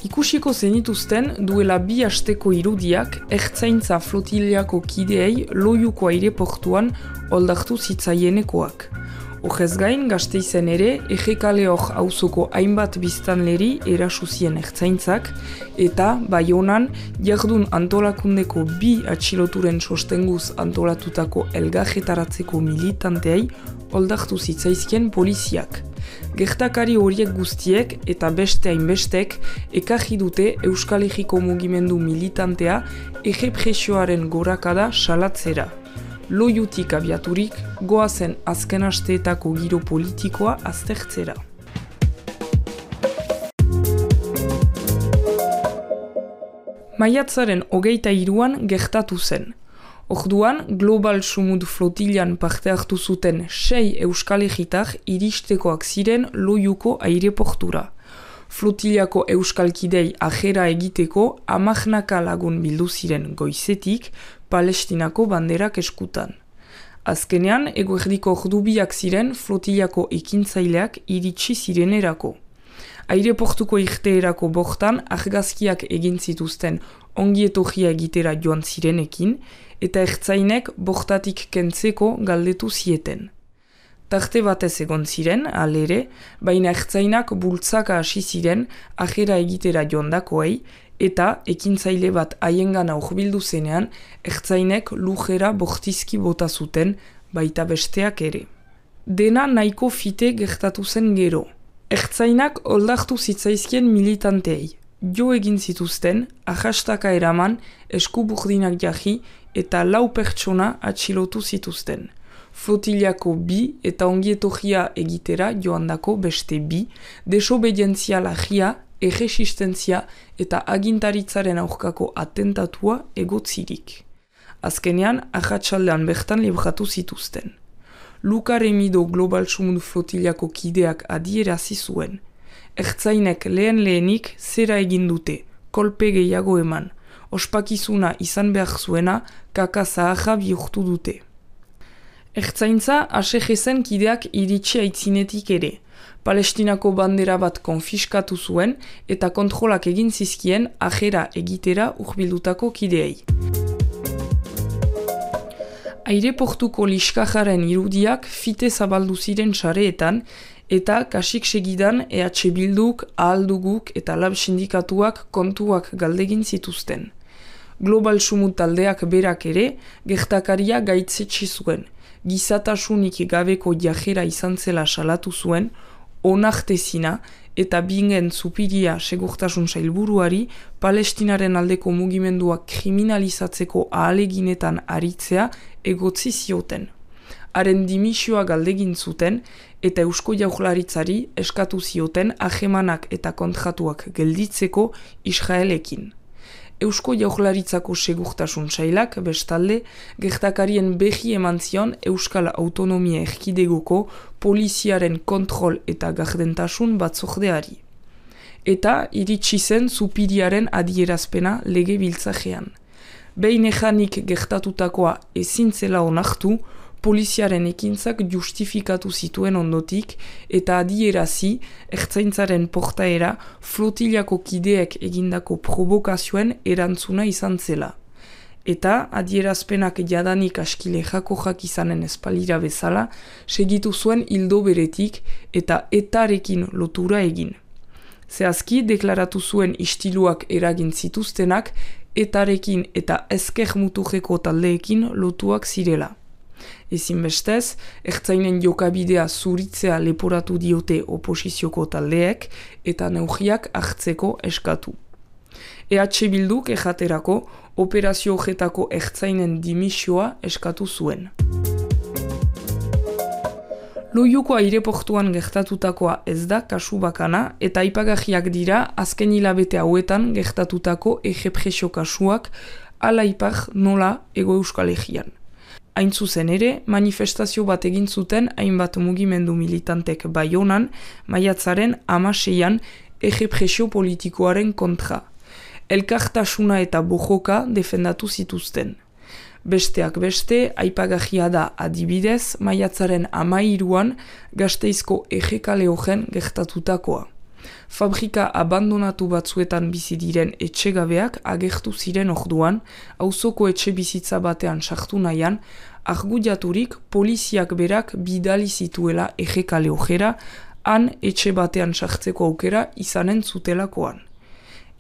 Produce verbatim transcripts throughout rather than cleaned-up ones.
Ikusiko zenituzten duela bi asteko irudiak ertzaintza flotiliako kideei Loiuko aireportuan oldartu zitzaienekoak. Horrez gain, Gasteizen ere, Ejekaleok auzoko hainbat biztanleri erasuzien ertzaintzak, eta Baionan jardun antolakundeko bi atxiloturen sostenguz antolatutako elgarretaratzeko militanteei oldartu zitzaizkien poliziak. Gertakari horiek guztiek eta beste hainbestek ekarri dute Euskal Herriko mugimendu militantea errepresioaren gorakada salatzera. Loiutik abiaturik, goazen azken asteetako giro politikoa aztertzera. Maiatzaren hogeita hiruan gertatu zen. Orduan, Global Sumud flotilian parte hartu zuten sei Euskal Herritar iristekoak ziren Loiuko aireportura. Flotiliako euskalkidei ajera egiteko hamarnaka lagun bildu ziren goizetik Palestinako banderak eskutan. Azkenean, eguerdiko ordubiak ziren flotiliako ekintzaileak iritsi zirenerako. Aireportuko irteerako bortan argazkiak egin zituzten ongietorria egitera joan zirenekin, eta ertzainek bortatik kentzeko galdetu zieten. Tarte batez egon ziren, alere, baina ertzainak bultzaka hasi ziren ajera egitera joandakoei, eta ekintzaile bat haiengana hurbildu zenean, ertzainek lujera bortizki bota zuten, baita besteak ere. Dena nahiko fite gertatu zen gero. Ertzainak oldartu zitzaizkien militanteei. Jo egin zituzten, ahastaka eraman, eskuburdinak jarri eta lau pertsona atxilotu zituzten. Flotiliako bi eta ongietorria egitera joandako beste bi, desobedientzia lagia, erresistentzia eta agintaritzaren aurkako atentatua egotzirik. Azkenean, ahatsaldean bertan libratu zituzten. Luka Remido Global Sumud flotiliako kideak adierazi zuen. Ertzainek lehen lehenik zera egin dute, kolpe gehiago eman. Ospakizuna izan behar zuena, kaka zaharra bihurtu dute. Ertzaintza asejezen kideak iritsi aitzinetik ere. Palestinako bandera bat konfiskatu zuen eta kontrolak egin zizkien ajera egitera urbildutako kideei. Aireportuko liskajaren irudiak fite zabaldu ziren sareetan eta kasik segidan E H Bilduk, Ahalduguk eta Lab sindikatuak kontuak galdegin zituzten. Global Sumud taldeak berak ere gertakaria gaitzetsi zuen. Gizatasunik gabeko jajera izan zela salatu zuen, onartezina eta bingen zupiria segurtasun sailburuari Palestinaren aldeko mugimenduak kriminalizatzeko ahaleginetan aritzea egotzi zioten. Haren dimisioa galdegin zuten eta Eusko Jaurlaritzari eskatu zioten ahemanak eta kontratuak gelditzeko Israelekin. Eusko Jaurlaritzako segurtasun sailak bestalde gertakarien behi eman zion Euskal Autonomia Erkidegoko poliziaren kontrol eta gardentasun batzordeari. Eta iritsi zen zupiriaren adierazpena lege biltzajean. Behin ejanik gertatutakoa ezin zela onartu, poliziaren ekintzak justifikatu zituen ondotik eta adierazi ertzaintzaren portaera flotiliako kideek egindako provokazioen erantzuna izan zela. Eta adierazpenak jadanik askile jakojak izanen espalira bezala, segitu zuen hildo beretik eta etarekin lotura egin. Zehazki deklaratu zuen istiluak eragin zituztenak etarekin eta ezker muturreko taldeekin lotuak zirela. Ezinbestez, ertzainen jokabidea zuritzea leporatu diote oposizioko taldeek eta neurriak hartzeko eskatu. E H Bilduk ejaterako operazio horretako ertzainen dimisioa eskatu zuen. Loiuko aireportuan gertatutakoa ez da kasu bakana eta aipagarriak dira azken hilabete hauetan gertatutako errepresio kasuak ala ipar nola Hego Euskal Herrian. Hain zuzen ere, manifestazio bat egin zuten hainbat mugimendu militantek Baionan, maiatzaren hamaseian errepresio politikoaren kontra. Elkartasuna eta bojoka defendatu zituzten. Besteak beste, aipagarria da adibidez, maiatzaren hamairuan Gasteizko Ejekaleogen gertatutakoa. Fabrika abandonatu batzuetan bizi diren etxegabeak agertu ziren orduan, auzoko etxe bizitza batean sartu nahian, argudiaturik poliziak berak bidali zituela ejekale ojera, han etxe batean sartzeko aukera izanen zutelakoan.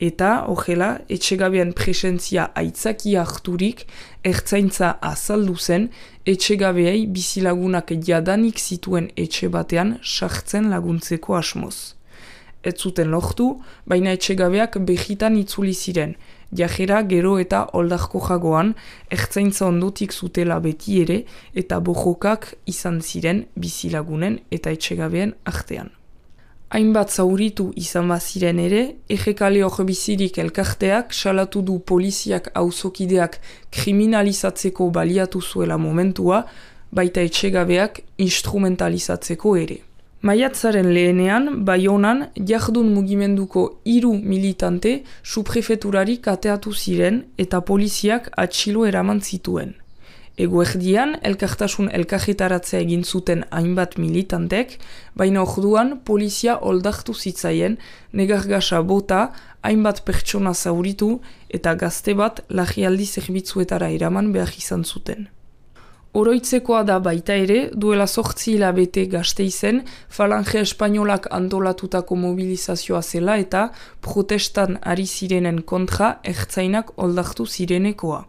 Eta, horrela, etxegabean presentzia aitzaki harturik, ertzaintza azaldu zen, etxegabeei bizilagunak jadanik zituen etxe batean sartzen laguntzeko asmoz. Ez zuten lortu, baina etxegabeak behitan itzuli ziren, jajera gero eta oldarko jagoan, ertzaintza ondotik zutela beti ere, eta bojokak izan ziren bizilagunen eta etxegabeen artean. Hainbat zauritu izan baziren ere, ejekale hor bizirik elkarteak salatu du poliziak auzokideak kriminalizatzeko baliatu zuela momentua, baita etxegabeak instrumentalizatzeko ere. Maiatzaren lehenean, Baionan, jardun mugimenduko hiru militante subprefeturari kateatu ziren eta poliziak atxilo eraman zituen. Eguerdian, elkartasun elkarretaratzea egin zuten hainbat militantek, baina orduan polizia oldartu zitzaien, negargasa bota, hainbat pertsona zauritu eta gazte bat larrialdi zerbitzuetara eraman behar izan zuten. Oroitzekoa da baita ere, duela zortzi hilabete Gasteizen, Falange Espainolak antolatutako mobilizazioa zela eta protestan ari zirenen kontra ertzainak oldartu zirenekoa.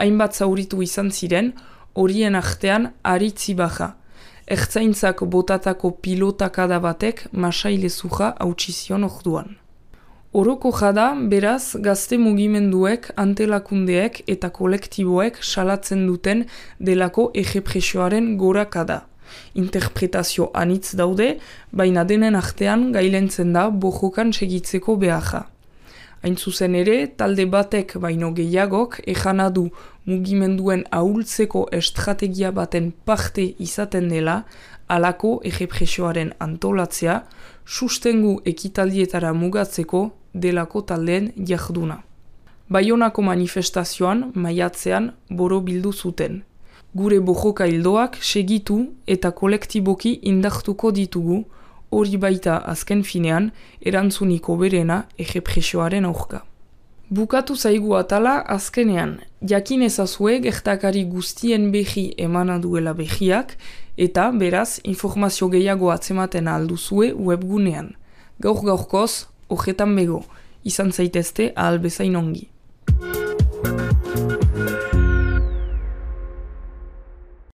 Hainbat zauritu izan ziren, horien artean Aritzi Baja. Ertzaintzak botatako pilotakada batek masaile zuja hautsizion orduan. Oroko jada, beraz, gazte mugimenduek, antelakundeek eta kolektiboek salatzen duten delako errepresioaren gorakada. Interpretazio anitz daude, baina denen artean gailentzen da bojokan segitzeko beharra. Hain zuzen ere, talde batek baino gehiagok ejana du mugimenduen ahultzeko estrategia baten parte izaten dela, halako errepresioaren antolatzea, sustengu ekitaldietara mugatzeko delako taldeen jarduna. Baionako manifestazioan, maiatzean, boro bildu zuten. Gure bojoka hildoak segitu eta kolektiboki indartuko ditugu, hori baita azken finean, erantzuniko berena errepresioaren aurka. Bukatu zaigu atala azkenean, jakin ezazue gertakari guztien behi emana duela behiak, eta beraz informazio gehiago atzematen alduzue webgunean. Gaur gaurkoz, horretan bego, izan zaitezte ahal bezain ongi.